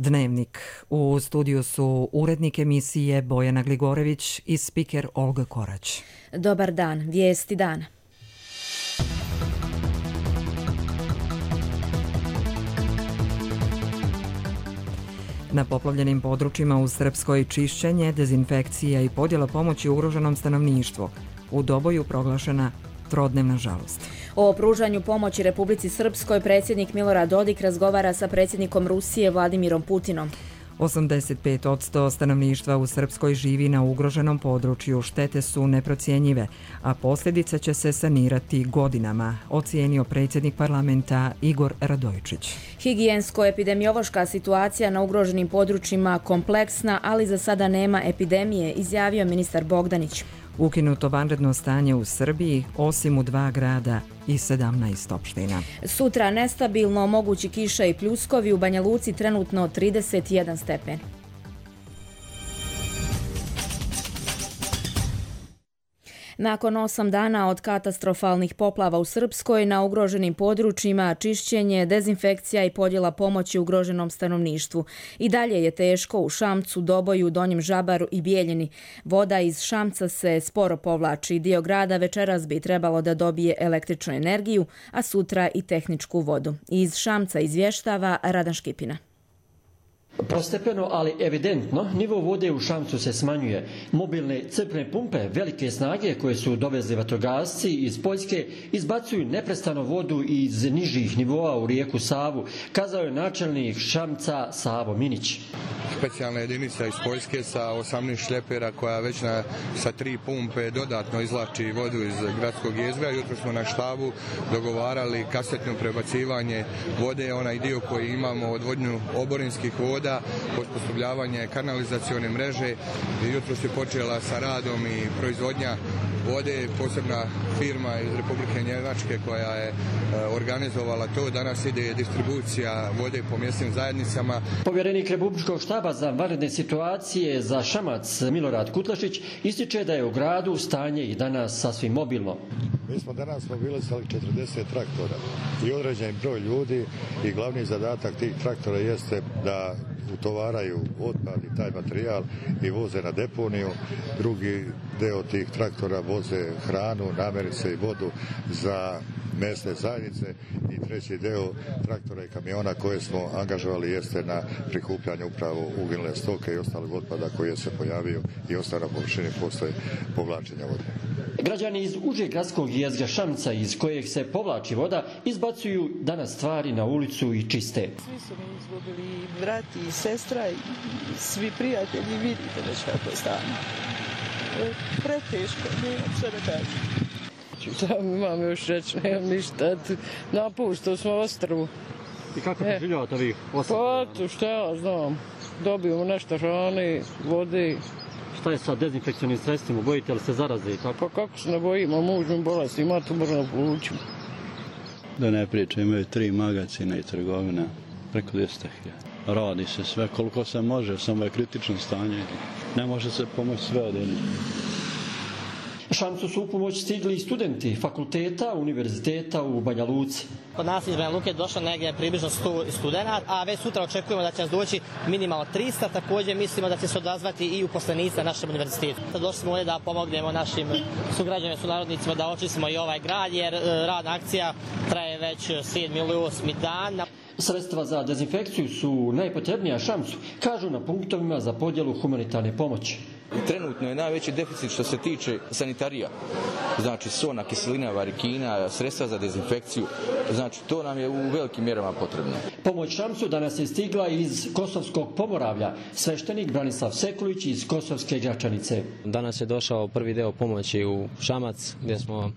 Dnevnik. U studiju su urednik emisije Bojana Gligorević i spiker Olga Korać. Dobar dan, vijesti dana. Na poplavljenim područjima u Srpskoj čišćenje, dezinfekcija i podjela pomoći ugroženom stanovništvu. U Doboju proglašena trodnevna žalost. O pružanju pomoći Republici Srpskoj predsjednik Milorad Dodik razgovara sa predsjednikom Rusije Vladimirom Putinom. 85% stanovništva u Srpskoj živi na ugroženom području, štete su neprocjenjive, a posljedice će se sanirati godinama, ocijenio predsjednik parlamenta Igor Radojčić. Higijensko-epidemiološka situacija na ugroženim područjima kompleksna, ali za sada nema epidemije, izjavio ministar Bogdanić. Ukinuto vanredno stanje u Srbiji, osim u 2 grada i 17 opština. Sutra nestabilno, mogući kiša i pljuskovi, u Banja Luci trenutno 31 stepen. Nakon 8 dana od katastrofalnih poplava u Srpskoj, na ugroženim područjima čišćenje, dezinfekcija i podjela pomoći ugroženom stanovništvu. I dalje je teško u Šamcu, Doboju, Donjem Žabaru i Bijeljini. Voda iz Šamca se sporo povlači. Dio grada večeras bi trebalo da dobije električnu energiju, a sutra i tehničku vodu. Iz Šamca izvještava Radan Škipina. Postepeno, ali evidentno, nivo vode u Šamcu se smanjuje. Mobilne crpne pumpe velike snage koje su dovezli vatrogasci iz Poljske izbacuju neprestano vodu iz nižih nivoa u rijeku Savu, kazao je načelnik Šamca Savo Minić. Specijalna jedinica iz Poljske sa 18 šljepera koja već sa 3 pumpe dodatno izvlači vodu iz gradskog jezgra. Jutro smo na štabu dogovarali kasetno prebacivanje vode, onaj dio koji imamo odvodnju oborinskih voda, osposobljavanje kanalizacione mreže. Jutro se počela sa radom i proizvodnja vode, posebna firma iz Republike Njemačke koja je organizovala to. Danas ide distribucija vode po mjesnim zajednicama. Povjerenik Republičkog štaba za vanredne situacije za Šamac Milorad Kutlašić ističe da je u gradu stanje i danas sasvim mobilno. Mi smo danas mobilisali 40 traktora i određen broj ljudi i glavni zadatak tih traktora jeste da utovaraju otpad i taj materijal i voze na deponiju. Drugi deo tih traktora voze hranu, namirnice i vodu za mesne zajednice i treći deo traktora i kamiona koje smo angažovali jeste na prikupljanju upravo uginule stoke i ostalog otpada koji se pojavio i ostao na površini posle povlačenja vode. Građani iz užeg gradskog jezgra Šamca iz kojeg se povlači voda izbacuju danas stvari na ulicu i čiste. Svi su mi izgubili i brat i sestra i svi prijatelji, vidite već kako je stanje. Preteško, nemam sve da kažem. Šta imam još reći, nemam ništa, napuštao smo ostrvu. I kako preživljavate vi ostrvu? Pa, šta ja znam, dobijemo nešto hrane, vode. Šta je sa dezinfekcionim sredstvima, bojite li se zaraze i tako? Pa kako se ne bojimo, mužnim bolesti, ima to moramo polučiti. Da ne pričam, imaju 3 magazina i trgovina, preko 200.000. Radi se sve koliko se može, samo je kritično stanje. Ne može se pomoći sve od jednog. Šamcu su u pomoć stigli i studenti fakulteta, univerziteta u Banja Luci. Kod nas iz Banja Luke došlo negdje približno 100 studenta, a već sutra očekujemo da će nas doći minimalno 300. Također mislimo da će se odazvati i uposlenici na našem univerzitetu. Došli smo ovdje da pomognemo našim sugrađanima, sunarodnicima da očistimo i ovaj grad, jer radna akcija traje već 7. ili 8. dan. Sredstva za dezinfekciju su najpotrebnija Šamcu, kažu na punktovima za podjelu humanitarne pomoći. Trenutno je najveći deficit što se tiče sanitarija. Znači sona, kiselina, varikina, sredstva za dezinfekciju. Znači to nam je u velikim mjerama potrebno. Pomoć Šamcu danas je stigla iz Kosovskog Pomoravlja. Sveštenik Branislav Sekulić iz Kosovske Gračanice. Danas je došao prvi deo pomoći u Šamac gdje smo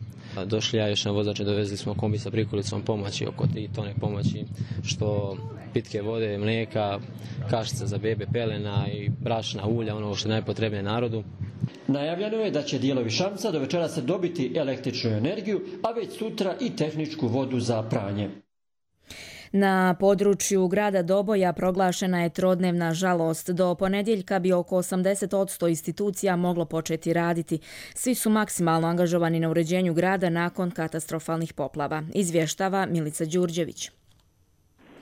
došli, ja još na vozače, dovezli smo kombi sa prikolicom pomoći, oko 3 tone pomoći, što pitke vode, mlijeka, kašica za bebe, pelena i brašna, ulja, ono što je najpotrebnije narodu. Najavljeno je da će dijelovi Šamca do večera se dobiti električnu energiju, a već sutra i tehničku vodu za pranje. Na području grada Doboja proglašena je trodnevna žalost. Do ponedjeljka bi oko 80% institucija moglo početi raditi. Svi su maksimalno angažovani na uređenju grada nakon katastrofalnih poplava. Izvještava Milica Đurđević.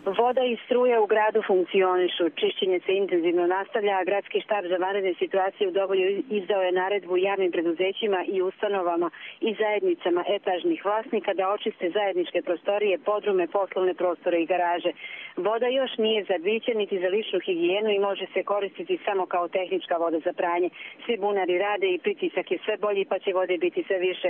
Voda i struje u gradu funkcionišu. Čišćenje se intenzivno nastavlja, a gradski štab za vanredne situacije u Doboju izdao je naredbu javnim preduzećima i ustanovama i zajednicama etažnih vlasnika da očiste zajedničke prostorije, podrume, poslovne prostore i garaže. Voda još nije za piće niti za ličnu higijenu i može se koristiti samo kao tehnička voda za pranje. Svi bunari rade i pritisak je sve bolji, pa će vode biti sve više.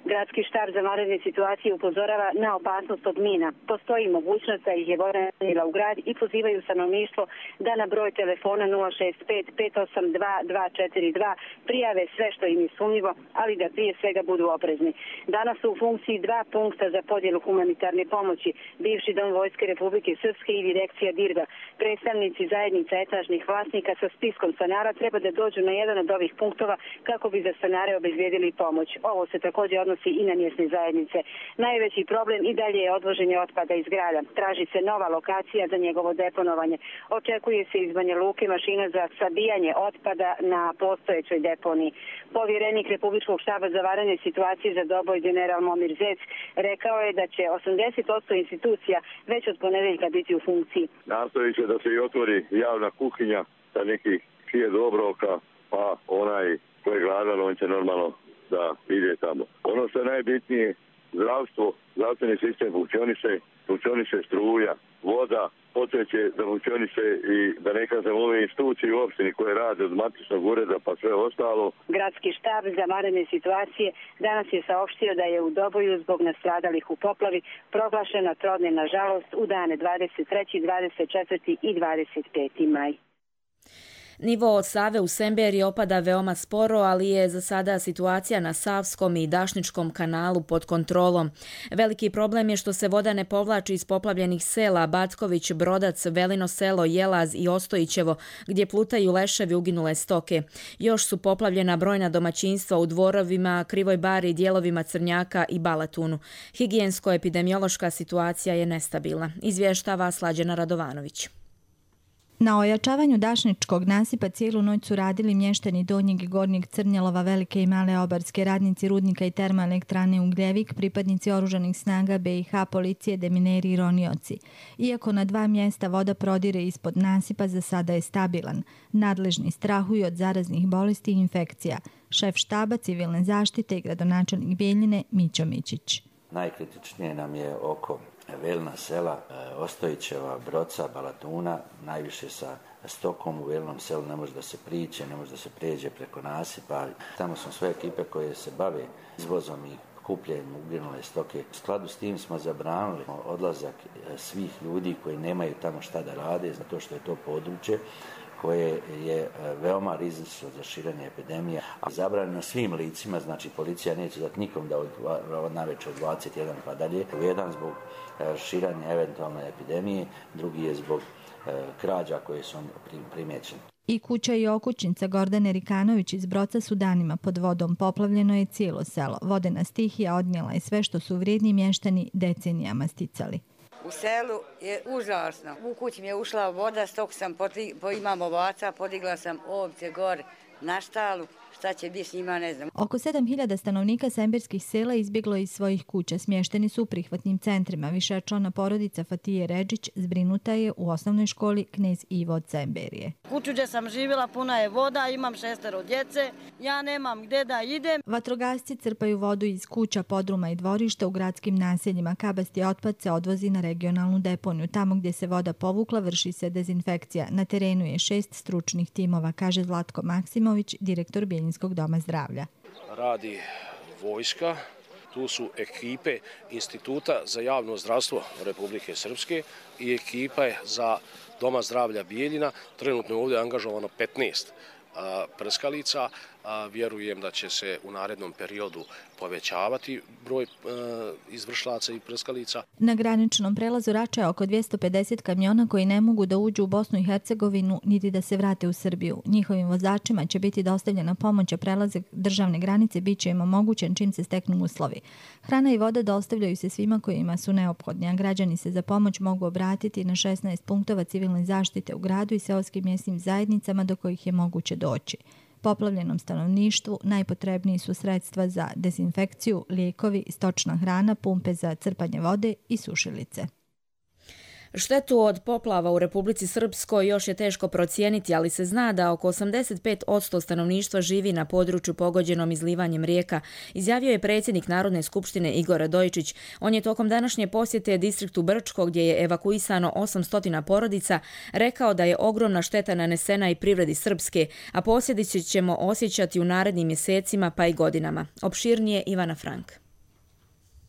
Gradski štab za vanredne situacije upozorava na opasnost od mina. Postoji mogućnost da ih je voda u grad i pozivaju stanovništvo da na broj telefona 065 582 242 prijave sve što im je sumnjivo, ali da prije svega budu oprezni. Danas su u funkciji 2 punkta za podjelu humanitarne pomoći, bivši Dom Vojske Republike Srpske i direkcija DIRGA. Predstavnici zajednica etažnih vlasnika sa spiskom stanara treba da dođu na jedan od ovih punktova kako bi za stanare obezbijedili pomoć. Ovo se također odnosi i na mjesne zajednice. Najveći problem i dalje je odvoženje otpada iz grada. Traži se nova lokacija za njegovo deponovanje. Očekuje se iz Banja Luke mašina za sabijanje otpada na postojećoj deponiji. Povjerenik Republičkog štaba za vanredne situacije za Doboj general Momir Zec rekao je da će 80% institucija već od ponedeljka biti u funkciji. Nastoji se da se i otvori javna kuhinja sa nekih 1000 obroka, pa onaj ko je gladan, on će normalno da ide tamo. Ono što je najbitnije, zdravstvo, zdravstveni sistem funkcioniše struja, voda, poteće da funkcioniše i da ne kažem ove institucije u opštini koje rade od matičnog ureda pa sve ostalo. Gradski štab za vanredne situacije danas je saopštio da je u Doboju zbog nastradalih u poplavi proglašena trodne nažalost u dane 23., 24. i 25. maj. Nivo od Save u Semberiji opada veoma sporo, ali je za sada situacija na Savskom i Dašničkom kanalu pod kontrolom. Veliki problem je što se voda ne povlači iz poplavljenih sela Batković, Brodac, Velino selo, Jelaz i Ostojićevo, gdje plutaju leševi uginule stoke. Još su poplavljena brojna domaćinstva u Dvorovima, Krivoj Bari, dijelovima Crnjaka i Balatunu. Higijensko-epidemiološka situacija je nestabilna, izvještava Slađana Radovanović. Na ojačavanju Dašničkog nasipa cijelu noć su radili mještani Donjeg i Gornjeg Crnjelova, Velike i Male Obarske, radnici rudnika i termoelektrane Ugljevik, pripadnici oružanih snaga BiH, policije, demineri i ronioci. Iako na 2 mjesta voda prodire ispod nasipa, za sada je stabilan. Nadležni strahuju od zaraznih bolesti i infekcija. Šef štaba civilne zaštite i gradonačelnik Bijeljine Mićo Mićić. Najkritičnije nam je oko Velina sela, Ostojićeva, Broca, Balatuna, najviše sa stokom. U Velinom selu ne može da se priđe, ne može da se prijeđe preko nasipa. Tamo su sve ekipe koje se bave izvozom i kupljenjem uginule stoke. U skladu s tim smo zabranili odlazak svih ljudi koji nemaju tamo šta da rade, zato što je to područje koje je veoma rizično za širenje epidemije. A zabranjeno svim licima, znači policija neće dati nikom da od navečer od 21 pa dalje. Jedan zbog širenja eventualne epidemije, drugi je zbog krađa koje su primjećene. I kuća i okućnica Gordane Rikanović iz Broca su danima pod vodom. Poplavljeno je cijelo selo. Vodena stihija odnijela je sve što su vrijedni mještani decenijama sticali. U selu je užasno. U kući mi je ušla voda, stok sam imam ovaca, podigla sam ovce gore na štalu. Šta će biti s njima, ne znam. Oko 7000 stanovnika semberskih sela izbjeglo iz svojih kuća. Smješteni su u prihvatnim centrima. Višečlana porodica Fatije Redžić zbrinuta je u osnovnoj školi Knez Ivo od Semberije. Kuću gdje sam živjela puna je voda, imam 6 djece, ja nemam gdje da idem. Vatrogasci crpaju vodu iz kuća, podruma i dvorišta u gradskim naseljima. Kabasti otpad se odvozi na regionalnu deponiju. Tamo gdje se voda povukla vrši se dezinfekcija. Na terenu je 6 stručnih timova, kaže Zlatko Maksimović, direktor Bijeljinskog doma zdravlja. Radi vojska, tu su ekipe Instituta za javno zdravstvo Republike Srpske i ekipa za Doma zdravlja Bijeljina. Trenutno je ovdje angažovano 15 prskalica. Vjerujem da će se u narednom periodu povećavati broj izvršlaca i prskalica. Na graničnom prelazu Rača je oko 250 kamiona koji ne mogu da uđu u Bosnu i Hercegovinu niti da se vrate u Srbiju. Njihovim vozačima će biti dostavljena pomoć, a prelazak državne granice bit će im omogućen čim se steknu uslovi. Hrana i voda dostavljaju se svima kojima su neophodni, a građani se za pomoć mogu obratiti na 16 punktova civilne zaštite u gradu i seoskim mjesnim zajednicama do kojih je moguće doći. Poplavljenom stanovništvu najpotrebniji su sredstva za dezinfekciju, lijekovi, stočna hrana, pumpe za crpanje vode i sušilice. Štetu od poplava u Republici Srpskoj još je teško procijeniti, ali se zna da oko 85% stanovništva živi na području pogođenom izlivanjem rijeka, izjavio je predsjednik Narodne skupštine Igor Radojičić. On je tokom današnje posjete distriktu Brčko, gdje je evakuisano 800 porodica, rekao da je ogromna šteta nanesena i privredi Srpske, a posljedice ćemo osjećati u narednim mjesecima pa i godinama. Opširnije Ivana Frank.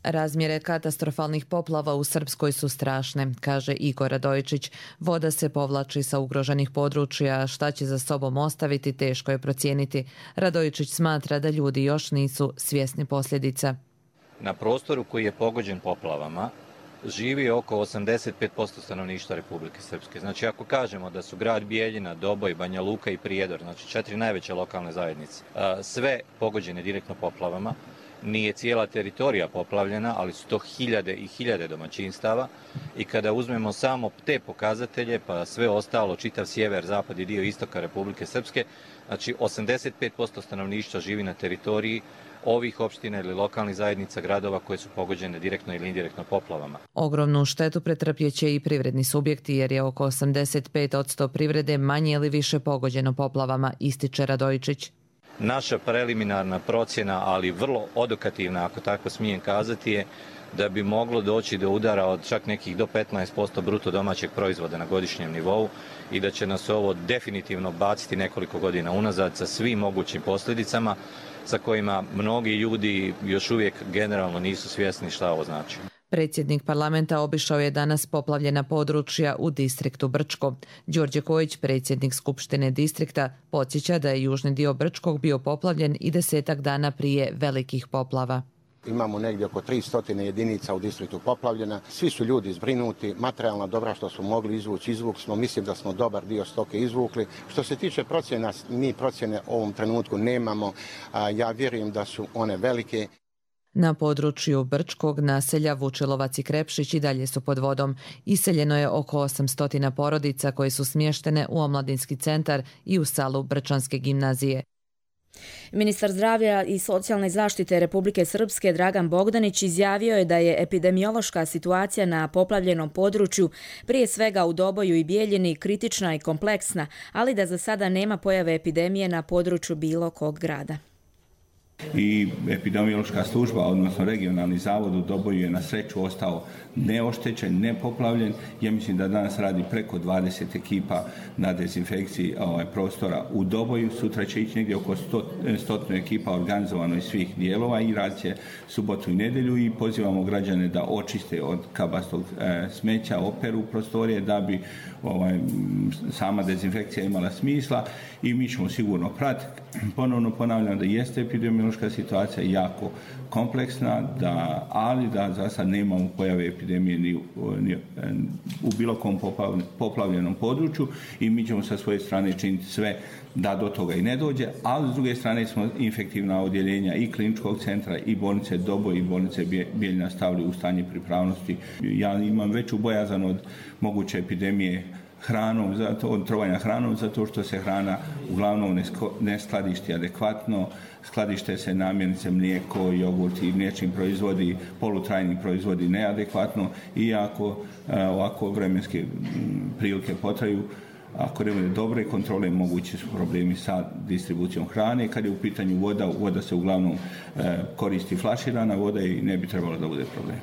Razmjere katastrofalnih poplava u Srpskoj su strašne, kaže Igor Radojičić. Voda se povlači sa ugroženih područja, šta će za sobom ostaviti teško je procijeniti. Radojičić smatra da ljudi još nisu svjesni posljedica. Na prostoru koji je pogođen poplavama živi oko 85% stanovništva Republike Srpske. Znači ako kažemo da su grad Bijeljina, Doboj, Banja Luka i Prijedor, znači 4 najveće lokalne zajednice, sve pogođene direktno poplavama, nije cijela teritorija poplavljena, ali su to hiljade i hiljade domaćinstava i kada uzmemo samo te pokazatelje, pa sve ostalo, čitav sjever, zapad i dio istoka Republike Srpske, znači 85% stanovništva živi na teritoriji ovih opština ili lokalnih zajednica gradova koje su pogođene direktno ili indirektno poplavama. Ogromnu štetu pretrpjeće i privredni subjekti jer je oko 85% privrede manje ili više pogođeno poplavama, ističe Radojičić. Naša preliminarna procjena, ali vrlo odokativna, ako tako smijem kazati, je da bi moglo doći do udara od čak nekih do 15% bruto domaćeg proizvoda na godišnjem nivou i da će nas ovo definitivno baciti nekoliko godina unazad sa svim mogućim posljedicama sa kojima mnogi ljudi još uvijek generalno nisu svjesni šta ovo znači. Predsjednik parlamenta obišao je danas poplavljena područja u distriktu Brčko. Đorđe Kojić, predsjednik Skupštine distrikta, podsjeća da je južni dio Brčkog bio poplavljen i 10 dana prije velikih poplava. Imamo negdje oko 300 jedinica u distriktu poplavljena. Svi su ljudi zbrinuti, materijalna dobra što smo mogli izvukli smo. Mislim da smo dobar dio stoke izvukli. Što se tiče procjena, mi procjene u ovom trenutku nemamo. Ja vjerujem da su one velike. Na području Brčkog naselja Vučilovac i Krepšić i dalje su pod vodom. Iseljeno je oko 800 porodica koje su smještene u omladinski centar i u salu Brčanske gimnazije. Ministar zdravlja i socijalne zaštite Republike Srpske Dragan Bogdanić izjavio je da je epidemiološka situacija na poplavljenom području, prije svega u Doboju i Bijeljini, kritična i kompleksna, ali da za sada nema pojave epidemije na području bilo kog grada. I epidemiološka služba, odnosno regionalni zavod u Doboju je na sreću ostao neoštećen, nepoplavljen. Ja mislim da danas radi preko 20 ekipa na dezinfekciji prostora u Doboju. Sutra će ići negdje oko 100 ekipa organizovano iz svih dijelova i rad će subotu i nedjelju i pozivamo građane da očiste od kabastog smeća, operu prostorije da bi sama dezinfekcija imala smisla i mi ćemo sigurno pratiti. Ponovno ponavljam da jeste epidemiološka situacija jako kompleksna, ali da za sad nemamo pojave epidemije ni u bilo kom poplavljenom području i mi ćemo sa svoje strane činiti sve da do toga i ne dođe, ali s druge strane smo infektivna odjeljenja i kliničkog centra i bolnice Doboj i bolnice Bijeljina stavili u stanje pripravnosti. Ja imam veću bojazan od moguće epidemije hranom, od trovanja hranom, zato što se hrana uglavnom ne skladišti adekvatno, skladište se namirnice, mlijeko, jogurt i mliječni proizvodi, polutrajni proizvodi neadekvatno i ako ovako vremenske prilike potraju, ako ne bude dobre kontrole, mogući su problemi sa distribucijom hrane. Kad je u pitanju voda se uglavnom koristi flaširana voda i ne bi trebalo da bude problem.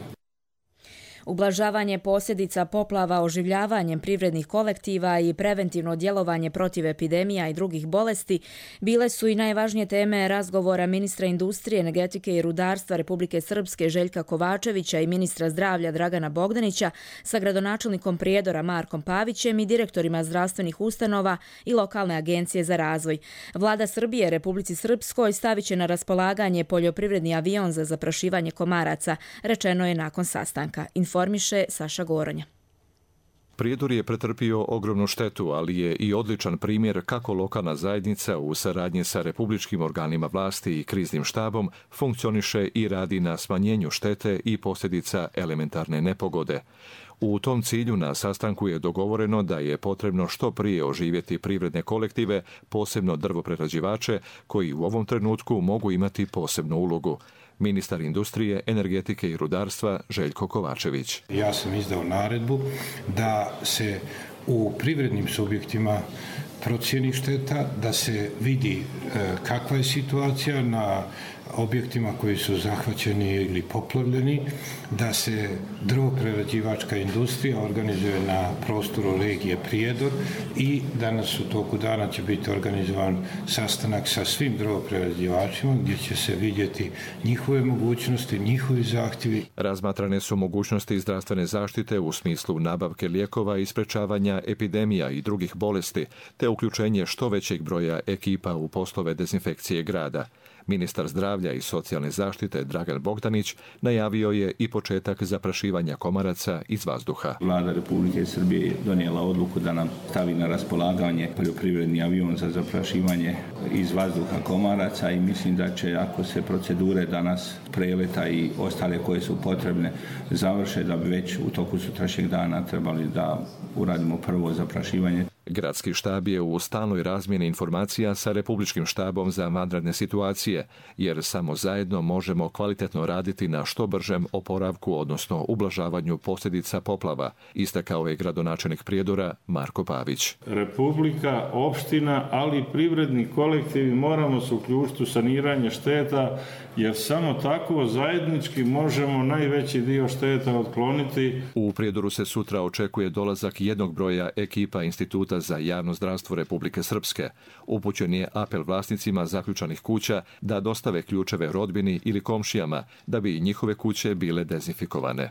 Ublažavanje posljedica poplava oživljavanjem privrednih kolektiva i preventivno djelovanje protiv epidemija i drugih bolesti bile su i najvažnije teme razgovora ministra industrije, energetike i rudarstva Republike Srpske Željka Kovačevića i ministra zdravlja Dragana Bogdanića sa gradonačelnikom Prijedora Markom Pavićem i direktorima zdravstvenih ustanova i lokalne agencije za razvoj. Vlada Srbije Republici Srpskoj stavit će na raspolaganje poljoprivredni avion za zaprašivanje komaraca, rečeno je nakon sastanka. Informiše Saša Goronja. Prijedor je pretrpio ogromnu štetu, ali je i odličan primjer kako lokalna zajednica u saradnji sa republičkim organima vlasti i kriznim štabom funkcioniše i radi na smanjenju štete i posljedica elementarne nepogode. U tom cilju na sastanku je dogovoreno da je potrebno što prije oživjeti privredne kolektive, posebno drvoprerađivače, koji u ovom trenutku mogu imati posebnu ulogu. Ministar industrije, energetike i rudarstva Željko Kovačević. Ja sam izdao naredbu da se u privrednim subjektima procjeni šteta, da se vidi kakva je situacija na objektima koji su zahvaćeni ili poplavljeni, da se drvoprerađivačka industrija organizuje na prostoru regije Prijedor i danas u toku dana će biti organizovan sastanak sa svim drvoprerađivačima gdje će se vidjeti njihove mogućnosti, njihovi zahtjevi. Razmatrane su mogućnosti zdravstvene zaštite u smislu nabavke lijekova i sprečavanja epidemija i drugih bolesti, te uključenje što većeg broja ekipa u poslove dezinfekcije grada. Ministar zdravlja i socijalne zaštite Dragan Bogdanić najavio je i početak zaprašivanja komaraca iz vazduha. Vlada Republike Srbije je donijela odluku da nam stavi na raspolaganje poljoprivredni avion za zaprašivanje iz vazduha komaraca i mislim da će, ako se procedure danas preleta i ostale koje su potrebne završe, da bi već u toku sutrašnjeg dana trebali da uradimo prvo zaprašivanje. Gradski štab je u stalnoj razmjeni informacija sa Republičkim štabom za vanredne situacije, jer samo zajedno možemo kvalitetno raditi na što bržem oporavku, odnosno ublažavanju posljedica poplava, istakao je gradonačelnik Prijedora Marko Pavić. Republika, opština, ali i privredni kolektivi moramo se uključiti u saniranje šteta, jer samo tako zajednički možemo najveći dio šteta otkloniti. U Prijedoru se sutra očekuje dolazak jednog broja ekipa Instituta za javno zdravstvo Republike Srpske. Upućen je apel vlasnicima zaključanih kuća da dostave ključeve rodbini ili komšijama da bi njihove kuće bile dezinfikovane.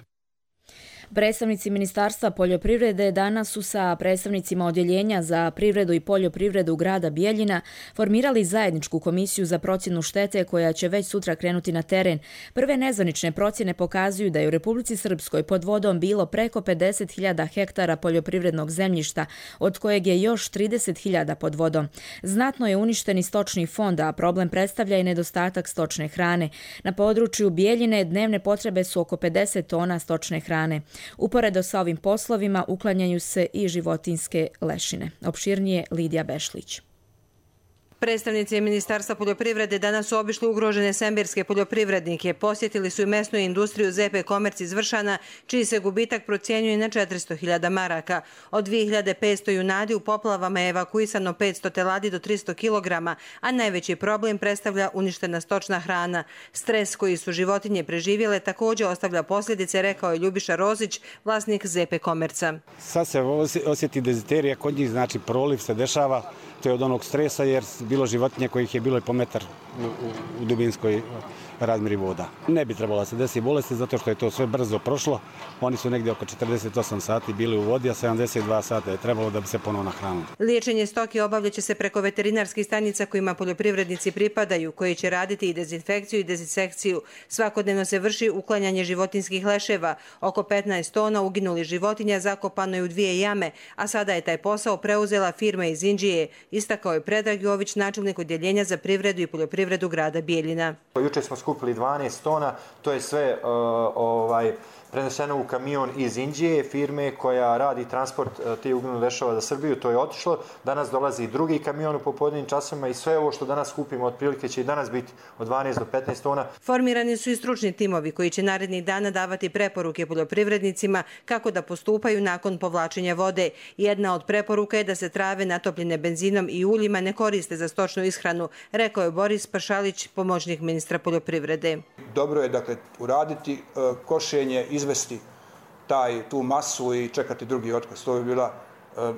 Predstavnici Ministarstva poljoprivrede danas su sa predstavnicima Odjeljenja za privredu i poljoprivredu grada Bijeljina formirali zajedničku komisiju za procjenu štete koja će već sutra krenuti na teren. Prve nezvanične procjene pokazuju da je u Republici Srpskoj pod vodom bilo preko 50.000 hektara poljoprivrednog zemljišta, od kojeg je još 30.000 pod vodom. Znatno je uništen i stočni fond, a problem predstavlja i nedostatak stočne hrane. Na području Bijeljine dnevne potrebe su oko 50 tona stočne hrane. Uporedo sa ovim poslovima uklanjaju se i životinjske lešine. Opširnije Lidija Bešlić. Predstavnici Ministarstva poljoprivrede danas su obišli ugrožene sembirske poljoprivrednike. Posjetili su i mesnu industriju ZP Komerc iz Vršana, čiji se gubitak procjenjuje na 400.000 maraka. Od 2.500 junadi u poplavama je evakuisano 500 teladi do 300 kg, a najveći problem predstavlja uništena stočna hrana. Stres koji su životinje preživjele također ostavlja posljedice, rekao je Ljubiša Rozić, vlasnik ZP Komerca. Sad se osjeti deziterija, kod njih znači proliv se dešava, to je od onog stresa jer bilo životinje kojih je bilo i po metar u dubinskoj razmjeri voda. Ne bi trebalo se desiti bolesti zato što je to sve brzo prošlo. Oni su negdje oko 48 sati bili u vodi, a 72 sata je trebalo da bi se ponovno nahranili. Liječenje stoke obavljat će se preko veterinarskih stanica kojima poljoprivrednici pripadaju, koji će raditi i dezinfekciju i dezinsekciju. Svakodnevno se vrši uklanjanje životinskih leševa. Oko 15 tona uginulih životinja zakopano je u 2 jame, a sada je taj posao preuzela firma iz Inđije, istakao je Predrag Jović, načelnik Odjeljenja za privredu i poljoprivredu grada Bijeljina. Juče smo skupili 12 tona, to je sve preneseno u kamion iz Inđije, firme koja radi transport te uginulih leševa za Srbiju, to je otišlo. Danas dolazi drugi kamion u popodnevnim časovima i sve ovo što danas skupimo otprilike će i danas biti od 12 do 15 tona. Formirani su i stručni timovi koji će narednih dana davati preporuke poljoprivrednicima kako da postupaju nakon povlačenja vode. Jedna od preporuka je da se trave natopljene benzinom i uljima ne koriste za stočnu ishranu, rekao je Boris Pašalić, pomoćnik ministra poljoprivrede. Dobro je dakle uraditi košenje, izvesti tu masu i čekati drugi otkaz. To bi bila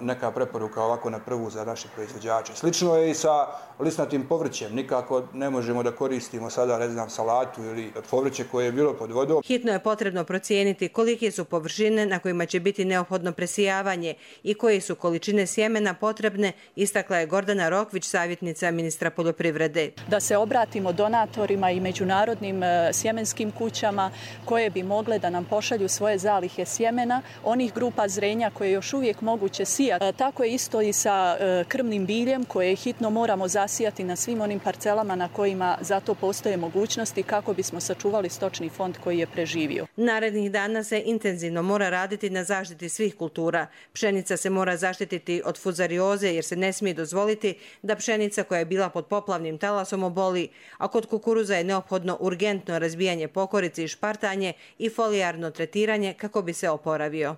neka preporuka ovako na prvu za naše proizvođače. Slično je i sa lisnatim povrćem. Nikako ne možemo da koristimo sada, ne znam, salatu ili povrće koje je bilo pod vodom. Hitno je potrebno procijeniti kolike su površine na kojima će biti neophodno presijavanje i koje su količine sjemena potrebne, istakla je Gordana Rokvić, savjetnica ministra poljoprivrede. Da se obratimo donatorima i međunarodnim sjemenskim kućama koje bi mogle da nam pošalju svoje zalihe sjemena, onih grupa zrenja koje još uvijek moguće će sijati. Tako je isto i sa krmnim biljem koje hitno moramo zasijati na svim onim parcelama na kojima zato postoje mogućnosti kako bismo sačuvali stočni fond koji je preživio. Narednih dana se intenzivno mora raditi na zaštiti svih kultura. Pšenica se mora zaštititi od fuzarioze jer se ne smije dozvoliti da pšenica koja je bila pod poplavnim talasom oboli, a kod kukuruza je neophodno urgentno razbijanje pokorice i špartanje i folijarno tretiranje kako bi se oporavio.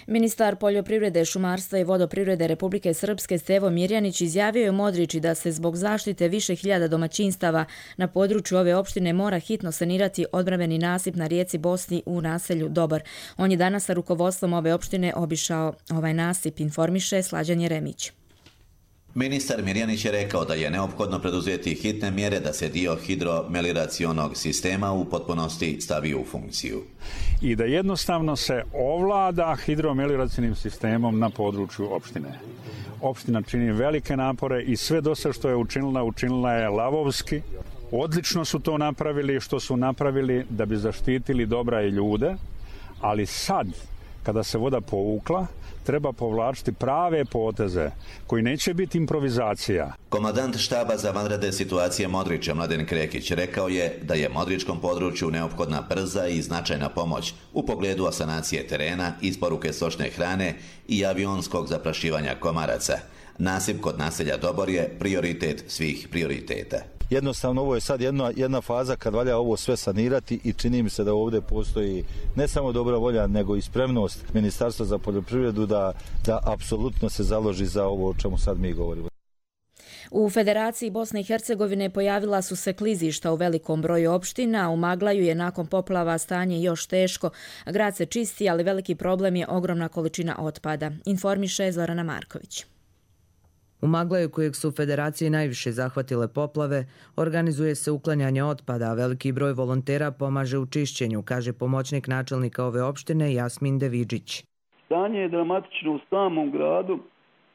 Ministar poljoprivrede, šumarstva i vodoprivrede Republike Srpske Stevo Mirjanić izjavio je u Modriči da se zbog zaštite više hiljada domaćinstava na području ove opštine mora hitno sanirati odbrambeni nasip na rijeci Bosni u naselju Dobar. On je danas sa rukovodstvom ove opštine obišao ovaj nasip, informiše Slađan Jeremić. Ministar Mirjanić je rekao da je neophodno preduzeti hitne mjere da se dio hidromelioracionog sistema u potpunosti stavi u funkciju. I da jednostavno se ovlada hidromelioracionim sistemom na području opštine. Opština čini velike napore i sve do sada što je učinila je lavovski. Odlično su to napravili što su napravili da bi zaštitili dobra i ljude, ali sad, kada se voda povukla, treba povlačiti prave poteze koji neće biti improvizacija. Komandant štaba za vanredne situacije Modrića Mladen Krekić rekao je da je Modričkom području neophodna brza i značajna pomoć u pogledu sanacije terena, isporuke stočne hrane i avionskog zaprašivanja komaraca. Nasip kod naselja Dobor je prioritet svih prioriteta. Jednostavno ovo je sad jedna faza kad valja ovo sve sanirati i čini mi se da ovdje postoji ne samo dobra volja nego i spremnost Ministarstva za poljoprivredu da apsolutno se založi za ovo o čemu sad mi govorimo. U Federaciji Bosne i Hercegovine pojavila su se klizišta u velikom broju opština. U Maglaju je nakon poplava stanje još teško. Grad se čisti, ali veliki problem je ogromna količina otpada, informiše Zorana Marković. U Maglaju, kojeg su u Federaciji najviše zahvatile poplave, organizuje se uklanjanje otpada, a veliki broj volontera pomaže u čišćenju, kaže pomoćnik načelnika ove opštine Jasmin Devidžić. Stanje je dramatično u samom gradu,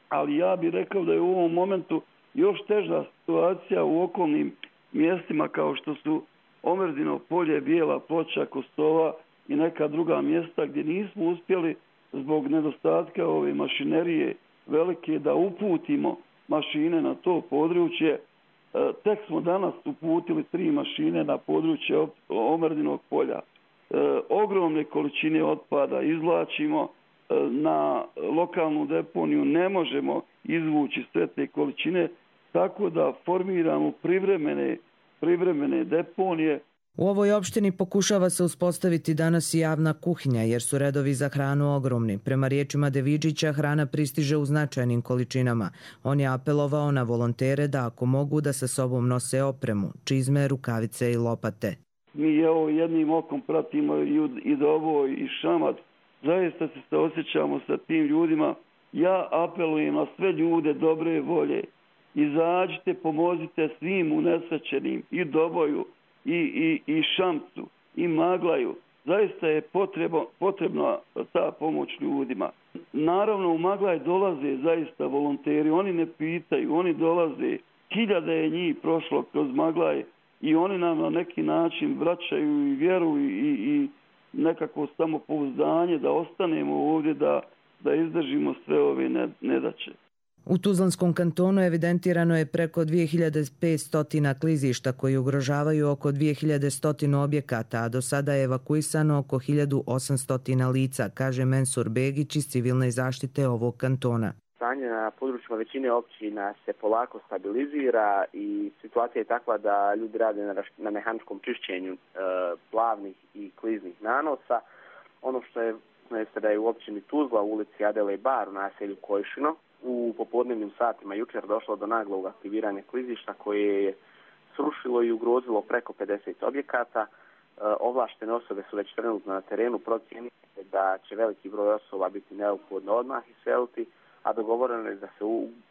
ali ja bih rekao da je u ovom momentu još teža situacija u okolnim mjestima kao što su Omerdino polje, Bijela Ploča, Kostova i neka druga mjesta gdje nismo uspjeli zbog nedostatka ove mašinerije velike da uputimo mašine na to područje. Tek smo danas uputili 3 mašine na područje Omerdinog polja. Ogromne količine otpada izvlačimo na lokalnu deponiju, ne izvući sve te količine, tako da formiramo privremene deponije. U ovoj opštini pokušava se uspostaviti danas i javna kuhinja jer su redovi za hranu ogromni. Prema riječima Devidžića hrana pristiže u značajnim količinama. On je apelovao na volontere da ako mogu da sa sobom nose opremu, čizme, rukavice i lopate. Mi jednim okom pratimo i Dobo i Šamac. Zaista se osjećamo sa tim ljudima. Ja apelujem na sve ljude dobre volje. Izađite, pomozite svim unesrećenim i Doboju, i Šamcu, i Maglaju. Zaista je potrebna ta pomoć ljudima. Naravno, u Maglaj dolaze zaista volonteri. Oni ne pitaju, oni dolaze. Hiljade je njih prošlo kroz Maglaj i oni nam na neki način vraćaju i vjeru i nekako samopouzdanje da ostanemo ovdje, da izdržimo sve ove nedaće. U Tuzlanskom kantonu evidentirano je preko 2500 klizišta koji ugrožavaju oko 2100 objekata, a do sada je evakuisano oko 1800 lica, kaže Mensur Begić iz civilne zaštite ovog kantona. Stanje na područjima većine općina se polako stabilizira i situacija je takva da ljudi rade na mehaničkom čišćenju plavnih i kliznih nanosa. Ono što je da je u općini Tuzla u ulici Adele Bar u naselju Kojšino u popodnevnim satima jučer došlo do naglog aktiviranja klizišta koje je srušilo i ugrozilo preko 50 objekata. Ovlaštene osobe su već trenutno na terenu, procjenjuje da će veliki broj osoba biti neophodno odmah iseliti, a dogovoreno je da se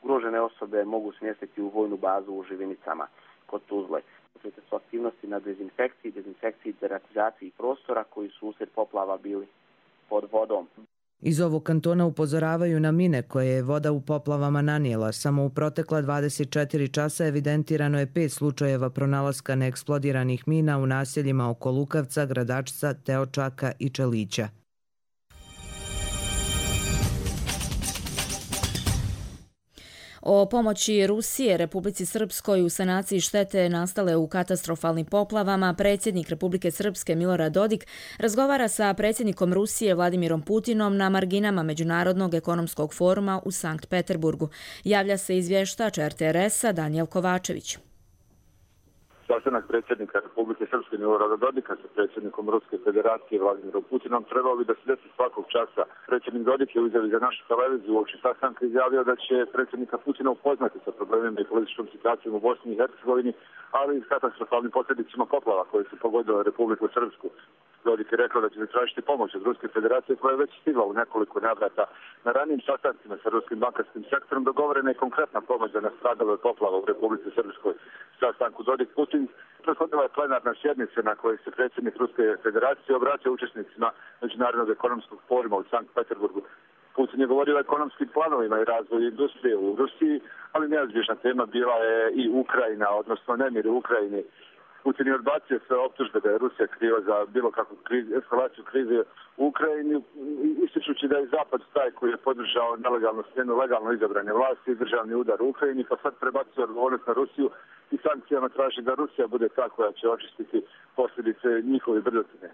ugrožene osobe mogu smjestiti u vojnu bazu u Živinicama kod Tuzle. To su aktivnosti na dezinfekciji i deratizaciji prostora koji su usred poplava bili pod vodom. Iz ovog kantona upozoravaju na mine koje je voda u poplavama nanijela. Samo u protekla 24 časa evidentirano je 5 slučajeva pronalaska neeksplodiranih mina u naseljima oko Lukavca, Gradačca, Teočaka i Čelića. O pomoći Rusije Republici Srpskoj u sanaciji štete nastale u katastrofalnim poplavama predsjednik Republike Srpske Milorad Dodik razgovara sa predsjednikom Rusije Vladimirom Putinom na marginama Međunarodnog ekonomskog foruma u Sankt Peterburgu. Javlja se izvještač RTS-a Danijel Kovačević. Sastanak predsjednika Republike Srpske Milorada Dodika sa predsjednikom Ruske federacije Vladimirom Putinom trebao bi da se desi svakog časa. Predsjednik Dodik je u izjavi za našu televiziju uoči sastanka izjavio da će predsjednika Putina upoznati sa problemima i političkom situacijom u Bosni i Hercegovini, ali i s katastrofalnim posljedicama poplava koje su pogodile Republiku Srpsku. Dodik je rekao da će zatražiti pomoć od Ruske federacije koja je već stigla u nekoliko navrata. Na ranijim sastancima sa ruskim bankarskim sektorom dogovorena je konkretna pomoć za nastradale poplava u Republici Srpskoj. Sastanku Dodik-Putin prethodila je plenarna sjednica na kojoj se predsjednik Ruske federacije obratio učesnicima Međunarodnog ekonomskog foruma u Sankt Peterburgu. Putin je govorio o ekonomskim planovima i razvoju industrije u Rusiji, ali neizbježna tema bila je i Ukrajina, odnosno nemir u Ukrajini. Putin je odbacio sve optužbe da je Rusija kriva za bilo kakvu eskalaciju krize u Ukrajini, ističući da je Zapad taj koji je podržao njenu legalno izabrane vlasti i državni udar u Ukrajini, pa sad prebacio odgovornost na Rusiju i sankcijama traži da Rusija bude ta koja će očistiti posljedice njihove brzotine.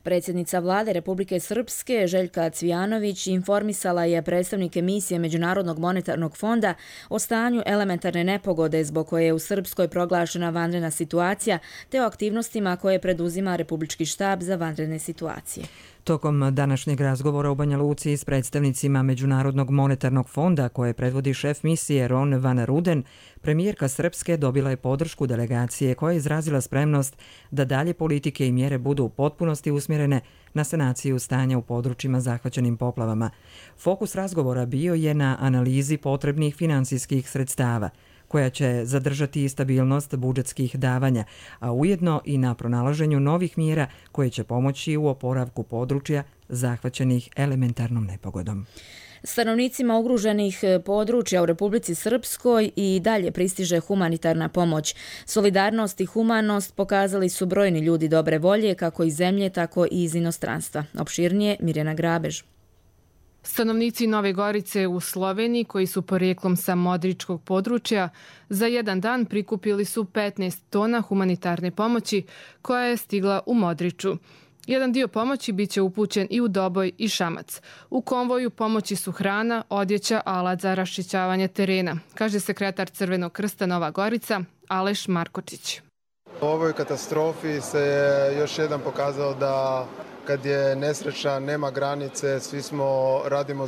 Predsjednica vlade Republike Srpske Željka Cvijanović informisala je predstavnike misije Međunarodnog monetarnog fonda o stanju elementarne nepogode zbog koje je u Srpskoj proglašena vanredna situacija te o aktivnostima koje preduzima Republički štab za vanredne situacije. Tokom današnjeg razgovora u Banja Luci s predstavnicima Međunarodnog monetarnog fonda koje predvodi šef misije Ron van Ruden, premijerka Srpske dobila je podršku delegacije koja je izrazila spremnost da dalje politike i mjere budu u potpunosti usmjerene na sanaciju stanja u područjima zahvaćenim poplavama. Fokus razgovora bio je na analizi potrebnih finansijskih sredstava, koja će zadržati stabilnost budžetskih davanja, a ujedno i na pronalaženju novih mjera koje će pomoći u oporavku područja zahvaćenih elementarnom nepogodom. Stanovnicima ugroženih područja u Republici Srpskoj i dalje pristiže humanitarna pomoć. Solidarnost i humanost pokazali su brojni ljudi dobre volje kako iz zemlje, tako i iz inostranstva. Opširnije Mirjana Grabež. Stanovnici Nove Gorice u Sloveniji, koji su porijeklom sa Modričkog područja, za jedan dan prikupili su 15 tona humanitarne pomoći koja je stigla u Modriču. Jedan dio pomoći biće upućen i u Doboj i Šamac. U konvoju pomoći su hrana, odjeća, alat za raščišćavanje terena, kaže sekretar Crvenog krsta Nova Gorica Aleš Markočić. U ovoj katastrofi se još jedan pokazao da kad je nesreća, nema granice, svi radimo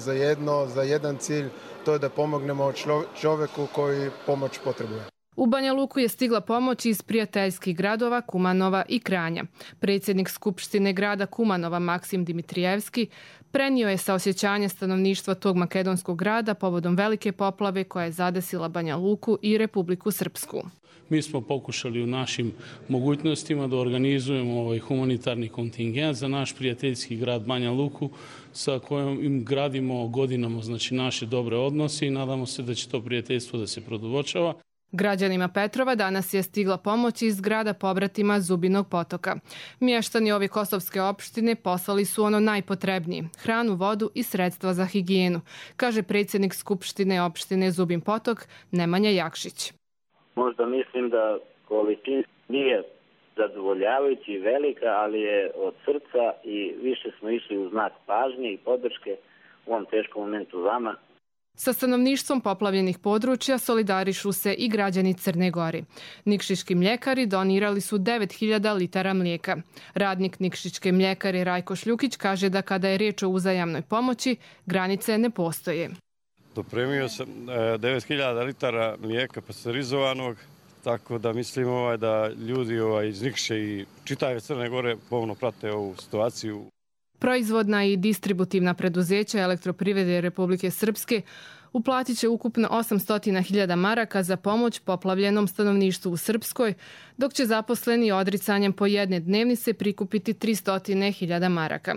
za jedan cilj, to je da pomognemo čovjeku koji pomoć potrebuje. U Banja Luku je stigla pomoć iz prijateljskih gradova Kumanova i Kranja. Predsjednik Skupštine grada Kumanova Maksim Dimitrijevski prenio je saosjećanje stanovništva tog makedonskog grada povodom velike poplave koja je zadesila Banja Luku i Republiku Srpsku. Mi smo pokušali u našim mogućnostima da organizujemo ovaj humanitarni kontingent za naš prijateljski grad Banja Luku sa kojim im gradimo godinama naše dobre odnose i nadamo se da će to prijateljstvo da se produbočava. Građanima Petrova danas je stigla pomoć iz grada pobratima Zubinog potoka. Mještani ove kosovske opštine poslali su ono najpotrebnije, hranu, vodu i sredstva za higijenu, kaže predsjednik Skupštine opštine Zubin potok Nemanja Jakšić. Možda mislim da količina nije zadovoljavajući i velika, ali je od srca i više smo išli u znak pažnje i podrške u ovom teškom momentu vama. Sa stanovništvom poplavljenih područja solidarišu se i građani Crne Gore. Nikšićki mljekari donirali su 9000 litara mlijeka. Radnik Nikšićke mljekare Rajko Šljukić kaže da kada je riječ o uzajamnoj pomoći, granice ne postoje. Dopremio sam 9000 litara mlijeka pasterizovanog, tako da mislim da ljudi iz Nikše i čitave Crne Gore pomno prate ovu situaciju. Proizvodna i distributivna preduzeća Elektroprivrede Republike Srpske uplatit će ukupno 800.000 maraka za pomoć poplavljenom stanovništvu u Srpskoj, dok će zaposleni odricanjem po jedne dnevnice prikupiti 300.000 maraka.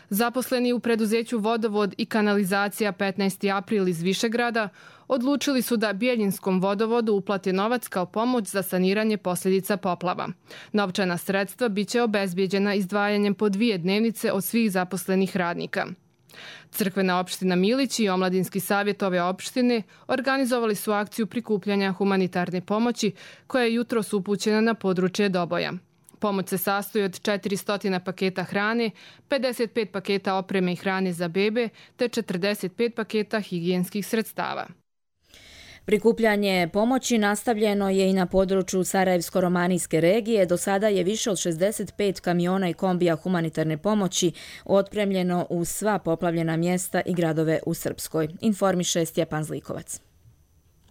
Zaposleni u preduzeću Vodovod i kanalizacija 15. april iz Višegrada odlučili su da Bjeljinskom vodovodu uplate novac kao pomoć za saniranje posljedica poplava. Novčana sredstva biće obezbijeđena izdvajanjem po 2 dnevnice od svih zaposlenih radnika. Crkvena opština Milić i Omladinski savjet ove opštine organizovali su akciju prikupljanja humanitarne pomoći koja je jutros upućena na područje Doboja. Pomoć se sastoji od 400 paketa hrane, 55 paketa opreme i hrane za bebe te 45 paketa higijenskih sredstava. Prikupljanje pomoći nastavljeno je i na području Sarajevsko-romanijske regije. Do sada je više od 65 kamiona i kombija humanitarne pomoći otpremljeno u sva poplavljena mjesta i gradove u Srpskoj, informiše Stjepan Zlikovac.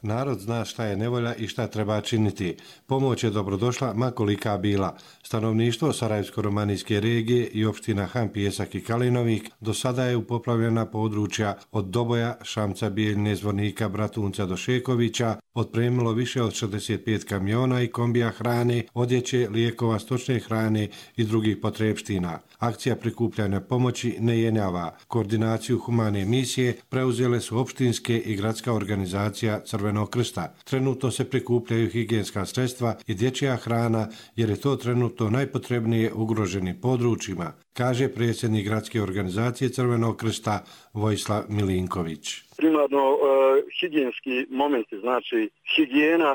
Narod zna šta je nevolja i šta treba činiti. Pomoć je dobrodošla ma kolika bila. Stanovništvo Sarajevsko-romanijske regije i opština Han, Pijesak i Kalinovik do sada je u poplavljena područja od Doboja, Šamca, Bijeljne, Zvornika, Bratunca do Šekovića otpremilo više od 65 kamiona i kombija hrane, odjeće, lijekova, stočne hrane i drugih potrepština. Akcija prikupljanja pomoći ne jenjava. Koordinaciju humane misije preuzele su opštinske i gradska organizacija Crvenog krsta. Trenutno se prikupljaju higijenska sredstva i dječja hrana jer je to trenutno najpotrebnije ugroženim područjima, kaže predsjednik gradske organizacije Crvenog krsta Vojislav Milinković. Primarno higijenski momenti, znači higijena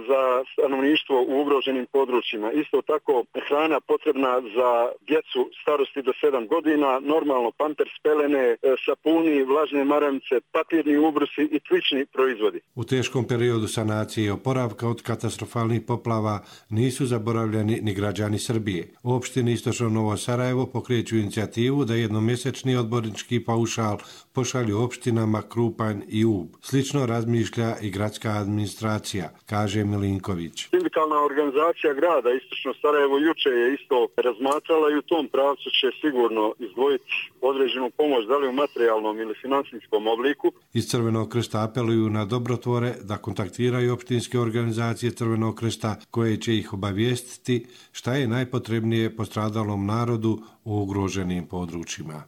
za stanovništvo u ugroženim područjima. Isto tako hrana potrebna za djecu starosti do 7 godina, normalno pampers, pelene, sapuni, vlažne maramice, papirni ubrusi i slični proizvodi. U teškom periodu sanacije i oporavka od katastrofalnih poplava nisu zaboravljeni ni građani Srbije. U opštini Istočno Novo Sarajevo pokreću inicijativu da jednomjesečni odbornički paušal pošalju opštinama Krupanj i Ub. Slično razmišlja i gradska administracija, kaže Milinković. Sindikalna organizacija grada Istočno Sarajevo juče je isto razmatrala i u tom pravcu će sigurno izdvojiti određenu pomoć, da li u materijalnom ili financijskom obliku. Iz Crvenog krsta apeluju na dobrotvore da kontaktiraju opštinske organizacije Crvenog krsta koje će ih obavijestiti šta je najpotrebnije postradalom narodu u ugroženim područjima.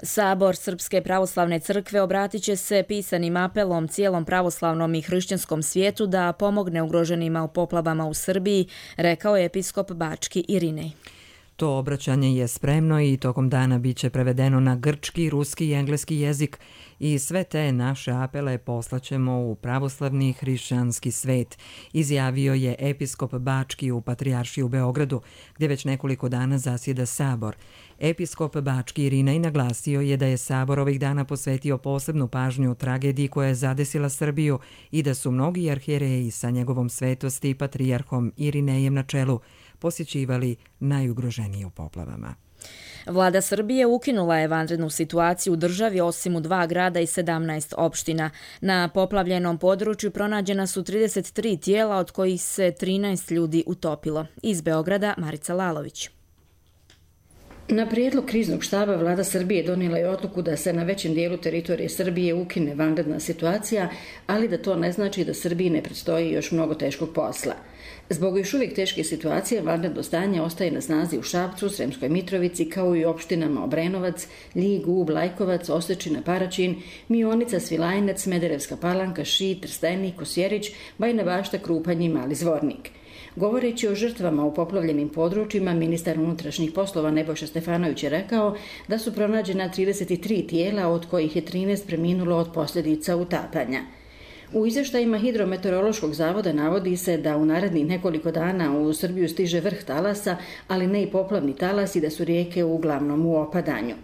Sabor Srpske pravoslavne crkve obratit će se pisanim apelom cijelom pravoslavnom i hrišćanskom svijetu da pomogne ugroženima u poplavama u Srbiji, rekao je episkop Bački Irinej. To obraćanje je spremno i tokom dana biće prevedeno na grčki, ruski i engleski jezik i sve te naše apele poslaćemo u pravoslavni hrišćanski svet, izjavio je episkop Bački u Patrijaršiji u Beogradu, gdje već nekoliko dana zasjeda Sabor. Episkop Bački Irinej naglasio je da je Sabor ovih dana posvetio posebnu pažnju tragediji koja je zadesila Srbiju i da su mnogi arhijereji sa njegovom svetosti i patrijarhom Irinejem na čelu posjećivali najugroženije u poplavama. Vlada Srbije ukinula je vanrednu situaciju u državi osim u 2 grada i 17 opština. Na poplavljenom području pronađena su 33 tijela, od kojih se 13 ljudi utopilo. Iz Beograda Marica Lalović. Na prijedlog kriznog štaba Vlada Srbije donijela je odluku da se na većem dijelu teritorije Srbije ukine vanredna situacija, ali da to ne znači da Srbiji ne predstoji još mnogo teškog posla. Zbog još uvijek teške situacije, vanredno stanje ostaje na snazi u Šapcu, Sremskoj Mitrovici, kao i u opštinama Obrenovac, Ljig, Ub, Lajkovac, Osečina, Paraćin, Mionica, Svilajnac, Smederevska Palanka, Šid, Trstenik, Kosjerić, Bajina Bašta, Krupanj i Mali Zvornik. Govoreći o žrtvama u poplavljenim područjima, ministar unutrašnjih poslova Nebojša Stefanović je rekao da su pronađena 33 tijela, od kojih je 13 preminulo od posljedica utapanja. U izvještajima Hidrometeorološkog zavoda navodi se da u narednih nekoliko dana u Srbiju stiže vrh talasa, ali ne i poplavni talas i da su rijeke uglavnom u opadanju.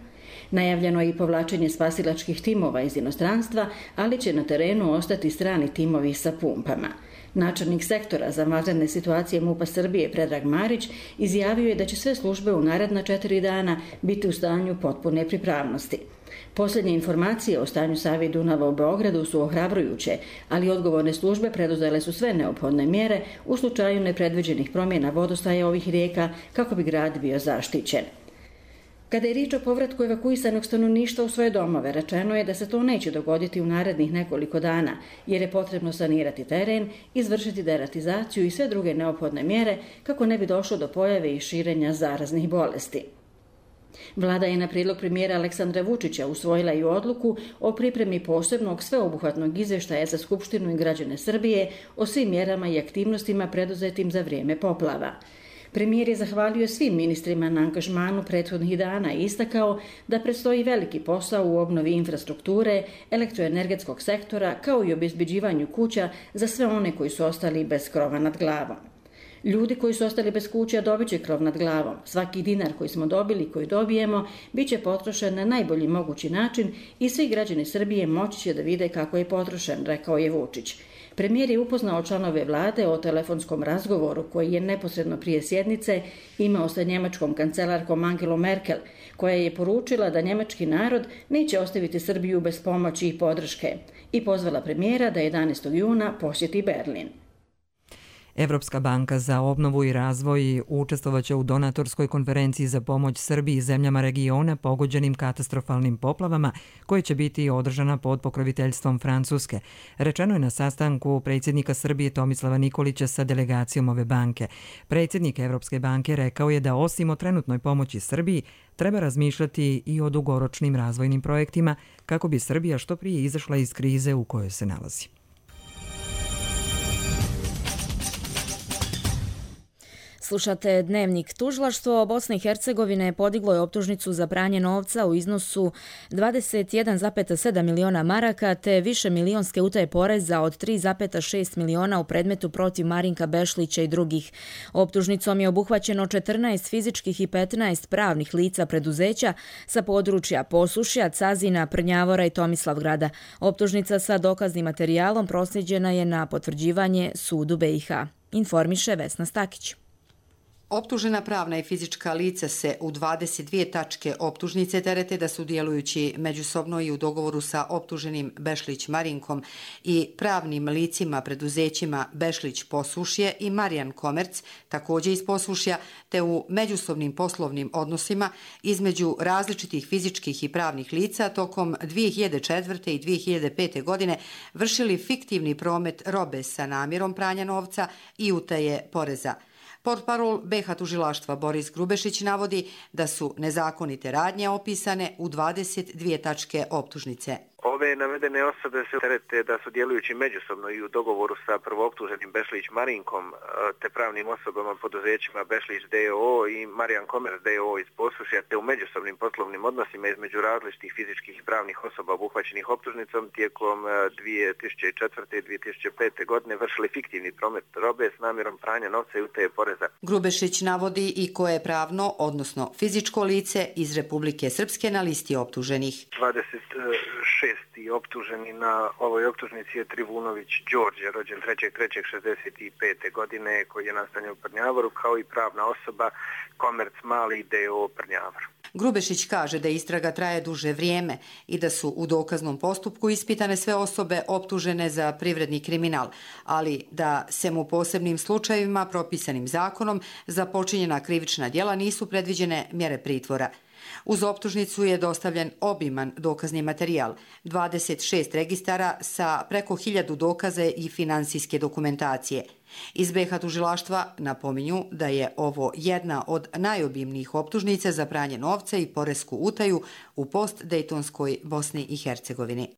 Najavljeno je i povlačenje spasilačkih timova iz inostranstva, ali će na terenu ostati strani timovi sa pumpama. Načelnik sektora za vanredne situacije MUP-a Srbije Predrag Marić izjavio je da će sve službe u naredna 4 dana biti u stanju potpune pripravnosti. Posljednje informacije o stanju Save i Dunava u Beogradu su ohrabrujuće, ali odgovorne službe preduzele su sve neophodne mjere u slučaju nepredviđenih promjena vodostaja ovih rijeka kako bi grad bio zaštićen. Kada je riječ o povratku evakuisanog stanovništva u svoje domove, rečeno je da se to neće dogoditi u narednih nekoliko dana, jer je potrebno sanirati teren, izvršiti deratizaciju i sve druge neophodne mjere kako ne bi došlo do pojave i širenja zaraznih bolesti. Vlada je na prijedlog premijera Aleksandra Vučića usvojila i odluku o pripremi posebnog sveobuhvatnog izvještaja za Skupštinu i građane Srbije o svim mjerama i aktivnostima preduzetim za vrijeme poplava. Premijer je zahvalio svim ministrima na angažmanu prethodnih dana i istakao da predstoji veliki posao u obnovi infrastrukture, elektroenergetskog sektora, kao i obezbeđivanju kuća za sve one koji su ostali bez krova nad glavom. Ljudi koji su ostali bez kuća dobit će krov nad glavom. Svaki dinar koji smo dobili i koji dobijemo bit će potrošen na najbolji mogući način i svi građani Srbije moći će da vide kako je potrošen, rekao je Vučić. Premijer je upoznao članove vlade o telefonskom razgovoru koji je neposredno prije sjednice imao sa njemačkom kancelarkom Angelom Merkel, koja je poručila da njemački narod neće ostaviti Srbiju bez pomoći i podrške i pozvala premijera da 11. juna posjeti Berlin. Evropska banka za obnovu i razvoj učestvovaće u donatorskoj konferenciji za pomoć Srbiji i zemljama regiona pogođenim katastrofalnim poplavama, koje će biti održana pod pokroviteljstvom Francuske. Rečeno je na sastanku predsjednika Srbije Tomislava Nikolića sa delegacijom ove banke. Predsjednik Evropske banke rekao je da osim o trenutnoj pomoći Srbiji, treba razmišljati i o dugoročnim razvojnim projektima kako bi Srbija što prije izašla iz krize u kojoj se nalazi. Slušate Dnevnik. Tužilaštvo Bosne i Hercegovine podiglo je optužnicu za pranje novca u iznosu 21,7 miliona maraka te više milionske utaje poreza od 3,6 miliona u predmetu protiv Marinka Bešlića i drugih. Optužnicom je obuhvaćeno 14 fizičkih i 15 pravnih lica preduzeća sa područja Posušja, Cazina, Prnjavora i Tomislavgrada. Optužnica sa dokaznim materijalom proslijeđena je na potvrđivanje sudu BiH. Informiše Vesna Stakić. Optužena pravna i fizička lica se u 22 tačke optužnice terete da su djelujući međusobno i u dogovoru sa optuženim Bešlić Marinkom i pravnim licima preduzećima Bešlić Posušje i Marijan Komerc, također iz Posušja, te u međusobnim poslovnim odnosima između različitih fizičkih i pravnih lica tokom 2004. i 2005. godine vršili fiktivni promet robe sa namjerom pranja novca i utaje poreza. Portparol BiH tužilaštva Boris Grubešić navodi da su nezakonite radnje opisane u 22 tačke optužnice. Ove navedene osobe se terete da su djelujući međusobno i u dogovoru sa prvooptuženim Bešlić Marinkom te pravnim osobama poduzećima Bešlić D.O.O. i Marijan Komerc D.O.O. iz Posušja te u međusobnim poslovnim odnosima između različitih fizičkih i pravnih osoba obuhvaćenih optužnicom tijekom 2004. i 2005. godine vršili fiktivni promet robe s namjerom pranja novca i utaje poreza. Grubešić navodi i koje je pravno, odnosno fizičko lice iz Republike Srpske na listi optuženih. 26. optuženi na ovoj optužnici je Trivunović Đorđe, rođen 3.3.65. godine, koji je nastanjen u Prnjavoru, kao i pravna osoba Komerc Mali D.O. Prnjavor. Grubešić kaže da istraga traje duže vrijeme i da su u dokaznom postupku ispitane sve osobe optužene za privredni kriminal, ali da se mu posebnim slučajevima propisanim zakonom za počinjena krivična djela nisu predviđene mjere pritvora. Uz optužnicu je dostavljen obiman dokazni materijal, 26 registara sa preko 1000 dokaza i finansijske dokumentacije. Iz BiH tužilaštva napominju da je ovo jedna od najobimnijih optužnica za pranje novca i poresku utaju u post-dejtonskoj Bosni i Hercegovini.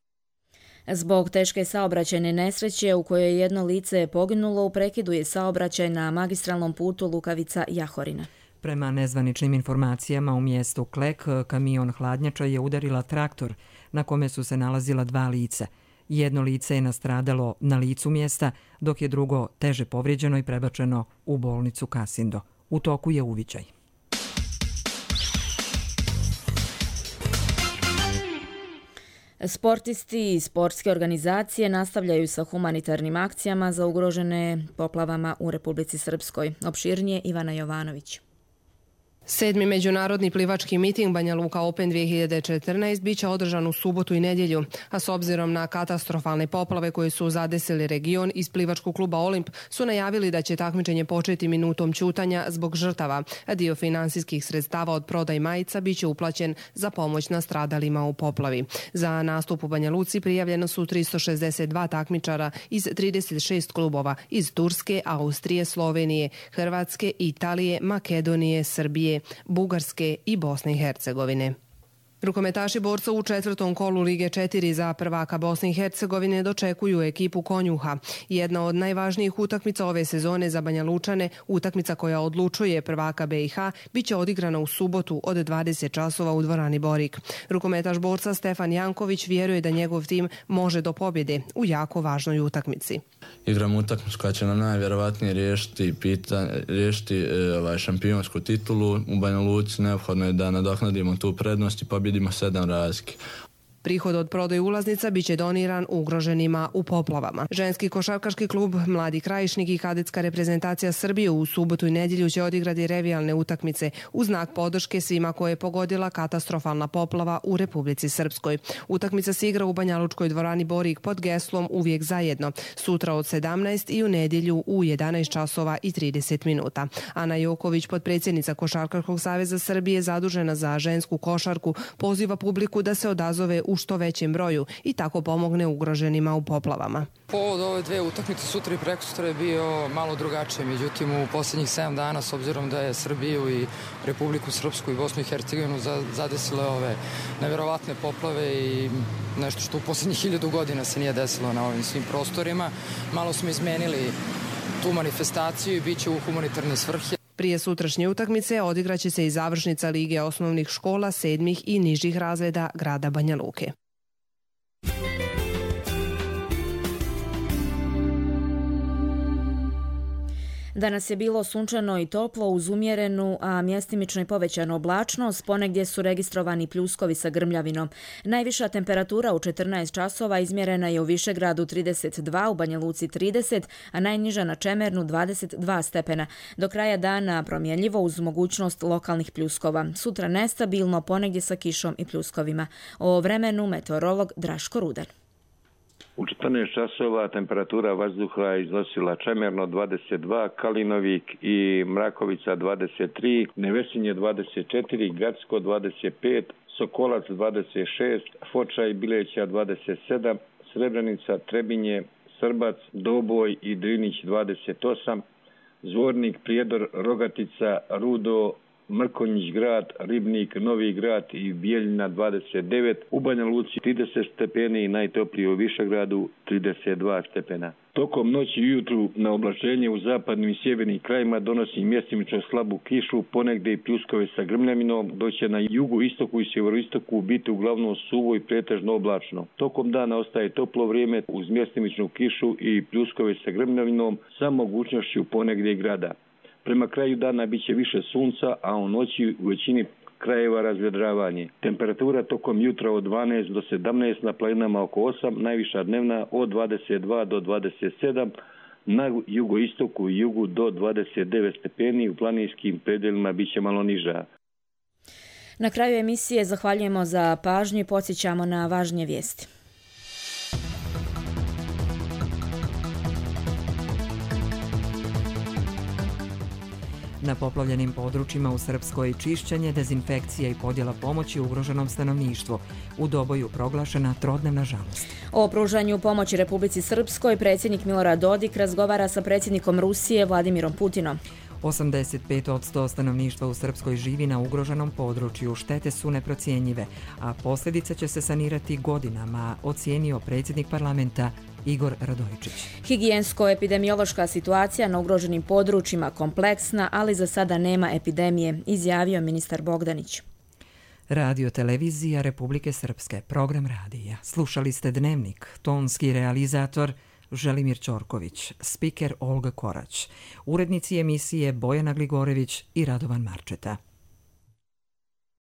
Zbog teške saobraćajne nesreće u kojoj je jedno lice poginulo, u prekidu je saobraćaj na magistralnom putu Lukavica-Jahorina. Prema nezvaničnim informacijama u mjestu Klek, kamion hladnjača je udarila traktor na kome su se nalazila 2 lica. Jedno lice je nastradalo na licu mjesta, dok je drugo teže povrijeđeno i prebačeno u bolnicu Kasindo. U toku je uviđaj. Sportisti i sportske organizacije nastavljaju sa humanitarnim akcijama za ugrožene poplavama u Republici Srpskoj. Opširnije Ivana Jovanović. 7. međunarodni plivački miting Banja Luka Open 2014 biće održan u subotu i nedjelju, a s obzirom na katastrofalne poplave koje su zadesili region, iz plivačkog kluba Olimp su najavili da će takmičenje početi minutom ćutanja zbog žrtava, a dio finansijskih sredstava od prodaj majica biće uplaćen za pomoć nastradalima u poplavi. Za nastup u Banja Luci prijavljeno su 362 takmičara iz 36 klubova iz Turske, Austrije, Slovenije, Hrvatske, Italije, Makedonije, Srbije, Bugarske i Bosne i Hercegovine. Rukometaši borca u 4. kolu Lige 4 za prvaka Bosne i Hercegovine dočekuju ekipu Konjuha. Jedna od najvažnijih utakmica ove sezone za Banja Lučane, utakmica koja odlučuje prvaka BiH, biće odigrana u subotu od 20 časova u dvorani Borik. Rukometaš borca Stefan Janković vjeruje da njegov tim može do pobjede u jako važnoj utakmici. Igramo utakmicu koja će nam najvjerovatnije riješiti šampionsku titulu. U Banja Luci neophodno je da nadoknadimo tu prednost i pobjedimo 7 razlike. Prihod od prodaje ulaznica biće doniran ugroženima u poplavama. Ženski košarkaški klub Mladi Krajišnik i kadetska reprezentacija Srbije u subotu i nedjelju će odigrati revijalne utakmice u znak podrške svima koje je pogodila katastrofalna poplava u Republici Srpskoj. Utakmica se igra u Banjalučkoj dvorani Borik pod geslom Uvijek zajedno, sutra od 17 i u nedjelju u 11 časova i 30 minuta. Ana Joković, potpredsjednica Košarkaškog saveza Srbije zadužena za žensku košarku, poziva publiku da se odazove u što većem broju i tako pomogne ugroženima u poplavama. Povod ove dve utakmice sutra i prekosutra je bio malo drugačije, međutim u posljednjih 7 dana, s obzirom da je Srbiju i Republiku Srpsku i Bosnu i Hercegovinu zadesile ove nevjerovatne poplave i nešto što u posljednjih 1000 godina se nije desilo na ovim svim prostorima, malo smo izmenili tu manifestaciju i bit će u humanitarne svrhe. Prije sutrašnje utakmice odigraće se i završnica Lige osnovnih škola 7. i nižih razreda grada Banja Luke. Danas je bilo sunčano i toplo uz umjerenu, a mjestimično i povećanu oblačnost. Ponegdje su registrovani pljuskovi sa grmljavinom. Najviša temperatura u 14 časova izmjerena je u Višegradu 32, u Banja Luci 30, a najniža na Čemernu 22 stepena. Do kraja dana promjenljivo uz mogućnost lokalnih pljuskova. Sutra nestabilno, ponegdje sa kišom i pljuskovima. O vremenu meteorolog Draško Rudan. U 14 časova temperatura vazduha iznosila Čemerno 22, Kalinovik i Mrakovica 23, Nevesinje 24, Gradsko 25, Sokolac 26, Foča i Bileća 27, Srebrenica, Trebinje, Srbac, Doboj i Drinić 28, Zvornik, Prijedor, Rogatica, Rudo, Mrkonjić grad, Ribnik, Novi grad i Bijeljina 29, u Banja Luci 30 stepeni i najtoplije u Višegradu 32 stepena. Tokom noći i jutru na oblačenje u zapadnim i sjevernim krajima donosi mjestimično slabu kišu, ponegdje i pljuskove sa grmljavinom, dok će na jugu, istoku i sjeveroistoku biti uglavnom suvo i pretežno oblačno. Tokom dana ostaje toplo vrijeme uz mjestimičnu kišu i pljuskove sa grmljavinom sa mogućnošću ponegdje grada. Prema kraju dana bit će više sunca, a u noći u većini krajeva razvedravanje. Temperatura tokom jutra od 12 do 17, na planinama oko 8, najviša dnevna od 22 do 27, na jugoistoku i jugu do 29 stepeni, u planinskim predjelima bit će malo niža. Na kraju emisije zahvaljujemo za pažnju i podsjećamo na važnije vijesti. Na poplavljenim područjima u Srpskoj čišćenje, dezinfekcija i podjela pomoći ugroženom stanovništvu. U Doboju proglašena trodnevna žalost. O pružanju pomoći Republici Srpskoj predsjednik Milorad Dodik razgovara sa predsjednikom Rusije Vladimirom Putinom. 85% stanovništva u Srpskoj živi na ugroženom području, štete su neprocjenjive, a posljedice će se sanirati godinama, ocijenio predsjednik parlamenta Igor Radojičić. Higijensko-epidemiološka situacija na ugroženim područjima kompleksna, ali za sada nema epidemije, izjavio ministar Bogdanić. Radio televizija Republike Srpske, program radija. Slušali ste Dnevnik, tonski realizator Želimir Ćorković, spiker Olga Korać, urednici emisije Bojana Gligorević i Radovan Marčeta.